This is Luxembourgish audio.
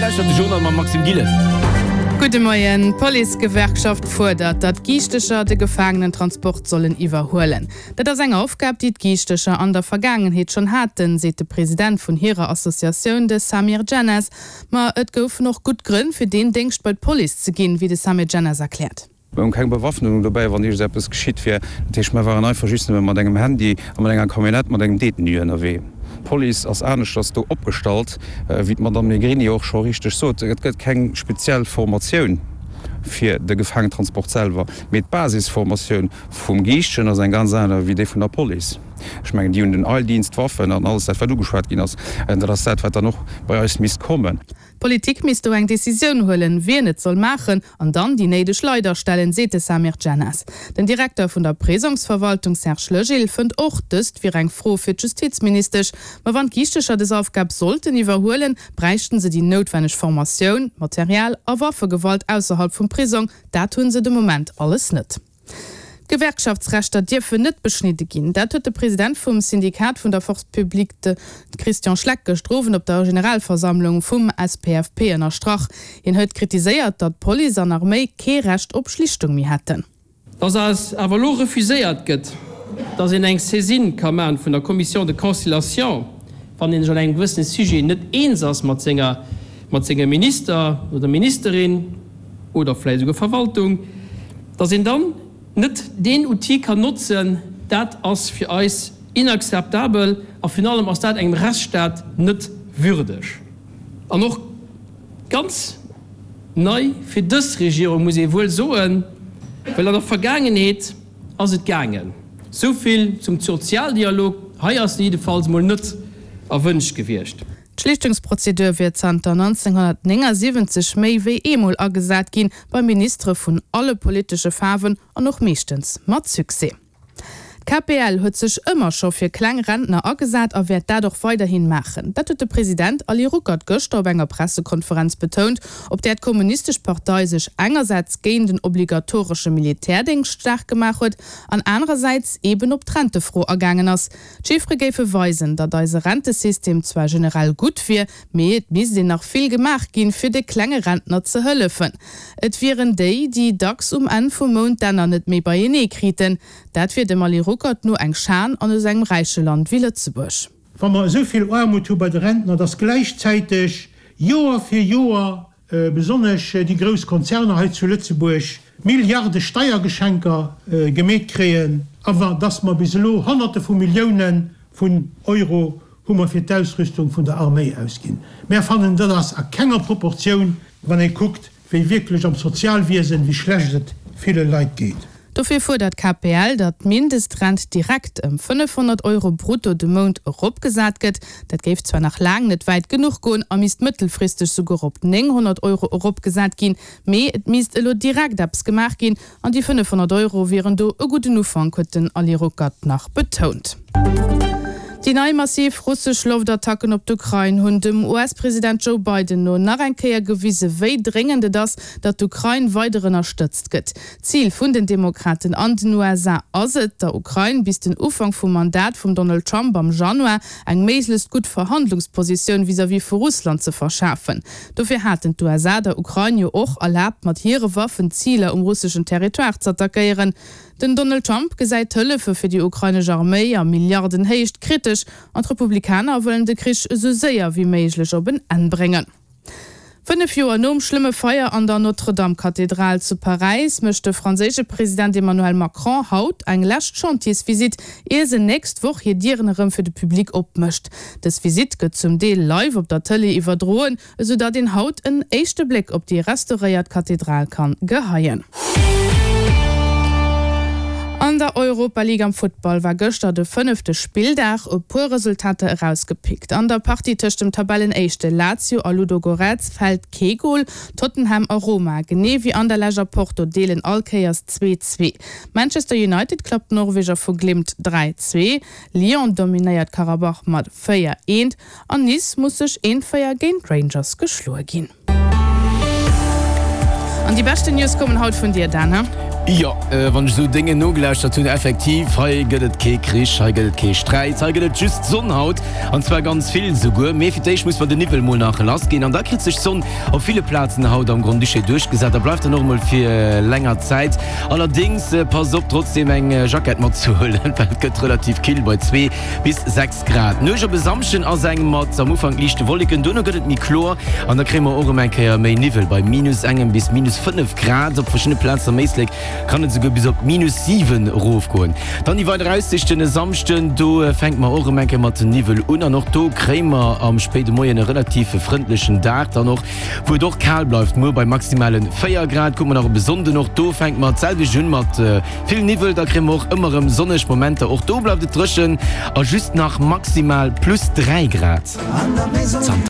lauschtert de Journal mam Maxime Gillen. Gudde Moien. D'Policegewerkschaft fuerdert, datt Giichtecher de Gefaangenentransport sollen iwwerhuelen. Dat ass eng Aufgab, déi d'Giichtecher an der Vergaangenheet schonn haten, seet de President vun hirer Associatioun, de Samir Djennas. Ma et goufen och gutt Grënn, fir deen Déngscht bei d'Police ze ginn, wéi de Samir Djennas erkläert. Mir hunn keng Bewaffnung dobäi, wann iergendeppes geschitt wier. Dat heescht, mir waren einfach just nëmme mat engem Handy a mat enger Camionnette mat engem Détenu ënnerwee. D'Police ass aneschters do opgestallt, wéi d'Madamm Negrini och scho richteg sot. Et gëtt keng speziell Formatioun fir de Gefaangentransport selwer, mee d'Basisformatioun vum Giischtjen ass eng ganz aner wéi déi vun der Police. Ech mengen, déi hunn den Eildienst, d'Waffen an alles dat, wat ugeschwat ginn ass. Dat ass dat, wat dann och bei eis misst kommen. D'Politik misst do eng Decisioun huelen, wien et soll maachen an dann déi néideg Leit astellen, seet de Samir Djennas. Den Direkter vun der Prisongsverwaltung Serge Legil fënnt och, dëst wier eng Fro fir d'Justizministesch. Ma wann d'Giichtecher des Aufgab sollten iwwerhuelen, bräichten se déi noutwenneg Formatioun, Material a Waffegewalt ausserhalb vum Prisong, dat hunn se de Moment alles net. D'Gewerkschaftsrechter dierfen net beschnidde ginn. Dat huet de President vum Syndikat vun der Force publique, de Christian Schleck, gëschter Owend op der Generalversammlung vum SPFP ënnerstrach. Hien huet kritiséiert, datt Police an Arméi kee Recht op Schlichtung méi hätten. Dass eis awer elo refuséiert gëtt, dass een eng Saisine ka maachen vun der Commission de conciliation, wann een sech an engem gewëssene Sujet net eens ass mat senger, mat sengem Minister oder Ministerin oder vläicht esouguer Verwaltung, dass een dann net deen Outil kann notzen, dat ass fir eis inakzeptabel a virun allem ass dat engem Rechtsstaat net würdeg. An och ganz nei fir dës Regierung, muss ee wuel soen, well an der Vergaangenheet ass et gaangen. Sou vill zum Sozialdialog, hei ass en jiddefalls mol net erwënscht gewiescht. D'Schlichtungsprozedur wier zanter 1979 méi wéi eemol agesat ginn, bei Ministere vun alle politesche Faarwen an och meeschtens mat Succès. D'KPL huet sech ëmmer scho fir kleng Rentner agesat a wäert dat och weiderhin maachen. Dat huet de President Ali Ruckert gëschter op enger Pressekonferenz betount, op där d'Kommunistesch Partei sech engersäits géint en obligatoresche Militärdéngscht staark gemaach huet an anerersäits eeben op d'Rentefro agaangen ass. D'Chiffere géife weisen, datt eise Rentesystem zwar generell gutt wier, mee et misst een nach vill gemaach ginn, fir de klenge Rentner ze hëllefen. Et wieren déi, déi dacks um Enn vum Mount d'Enner net méi beienee kriten. Dat wier dem Ali Ruckert no eng Schan an esou engem räiche Land wéi Lëtzebuerg. Wa mer esou vill Aarmut hu bei de Rentner, datt gläichzäiteg Joer fir Joer besonnesch déi grouss Konzerner hei zu Lëtzebuerg Milliarde Steiergeschenker gemeet kréien, awer dass mer bis elo Honnerte vu Milliounen vun Euro hu mer fir d'Ausrüstung vun der Arméi ausginn. Mär fannen, dat ass a kenger Proportioun, wann ee kuckt, wéi wierklech am Sozialwiesen, wéi schlecht et ville Leit geet. Dofir fuerdert d'KPL, datt d'Mindestrent direkt ëm 500 Euro brutto de Mount eropgesat gëtt. Dat géif zwar nach laang net wäit genuch goen a misst mëttelfristeg souguer op 900 Euro eropgesat ginn, mee et misst elo direkt eppes gemaach ginn an déi 500 Euro wieren do e gudden Ufank, huet den Ali Ruckert nach betount. Déi nei massiv russesch Loftattacken op d'Ukrain hunn dem US-President Joe Biden no nach eng Kéier gewise wéi dréngend et ass, datt d'Ukrain weider ënnerstëtzt gëtt. D'Zil vun den Demokraten an den USA ass et, der Ukrain bis den Ufank vum Mandat vum Donald Trump am Januar eng méiglechst gutt Verhandlungspositioun vis-à-vis vu Russland ze verschafen. Dofir haten d'USA der Ukrain jo och erlaabt, mat hire Waffen Ziler um russeschen Territoire z'attackéieren. Den Donald Trump gesäit d'Hëllefe fir déi ukrainesch Arméi a Milliardenhéicht kritesch an d'Republikaner wëllen de Krich esou séier wéi méiglech op en Enn bréngen. 5 Joer nom schlëmme Feier an der Notre-Dame-Kathedral zu Paräis mécht de franséische President Emmanuel Macron haut eng lescht Chantiersvisitt, ier se nächst Woch hir Dieren erëm fir de Public opmécht. Dës Visitt gëtt zum Deel live op der Tëlee iwwerdroen. Esou datt een haut en éischte Bléck op déi restauréiert Kathedral kann geheien. An der Europa League am Futtball war gëschter de fënnefte Spilldag. E puer Resultater erausgepickt. An der Partie tëscht dem Tabellenéischte Lazio a Ludogorets fält kee Gol. Tottenham a Roma, genee wéi Anderlecht a Porto, deelen all Kéiers 2, 2. Manchester United klappt d'Norweger vu Glimt 3, 2. Lyon dominéiert Karabach mat 4, 1. An Nice muss sech eent 4 géint d'Rangers geschloe ginn. An déi beschten News kommen haut vun dir, Dan, he? Jo, wann ech esou Déngen nogelauschtert hunn, effektiv, hei gëtt et kee Krich, hei gëtt et kee Sträit, hei gëtt et just Sonn haut, an zwar ganz vill esouguer. Mee fir d'éischt muss mer den Niwwel mol nach lass ginn, an da kritt sech d'Sonn op ville Plazen haut am Grand-Duché duerchgesat a bleift dann och emol fir länger Zäit. Allerdéngs, passt op trotzdeem eng Jackett matzehuelen, well et gëtt relativ kill bei 2 bis 6 Grad. D'Nuecht op e Samschden ass eng mat am Ufank liichte Wolleken, duerno gëtt et méi kloer an da kréie mer och erëm eng Kéier méi Niwwel bei minus engem bis minus 5 Grad. Op verschiddene Plazen am Éislek kann et esouguer bis op minus 7 erofgoen. Dann déi weider Aussiichten e Samschden, do fänke mer och erëm eng Kéier mat Niwwel un an och do kréie mer am spéide Moien e relativ frëndlechen Dag dann och, wou et och kal bleift. Muer bei maximale 4 Grad. Kucke mer nach op e Sonnden, och do fänke mer d'selwecht un mat Vill Niwwel, da kréie mer och ëmmer erëm sonneg Momenter. Och do bleift et dréchen a just nach maximal plus 3 Grad.